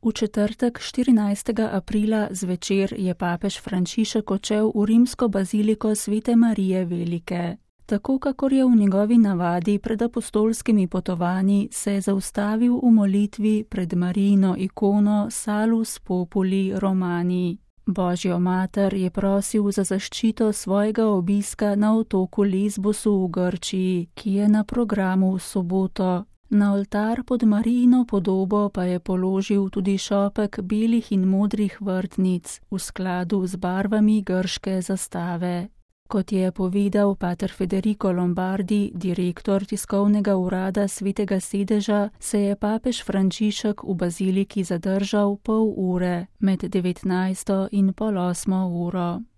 V četrtek 14. aprila zvečer je papež Frančišek odšel v rimsko baziliko Svete Marije Velike. Tako kakor je v njegovi navadi pred apostolskimi potovanji, se je zaustavil v molitvi pred Marijino ikono Salus Populi Romani. Božjo mater je prosil za zaščito svojega obiska na otoku Lesbosu v Grčiji, ki je na programu v soboto. Na oltar pod Marijino podobo pa je položil tudi šopek belih in modrih vrtnic v skladu z barvami grške zastave. Kot je povedal pater Federico Lombardi, direktor tiskovnega urada Svetega sedeža, se je papež Frančišek v baziliki zadržal pol ure med 19. in pol 8. uro.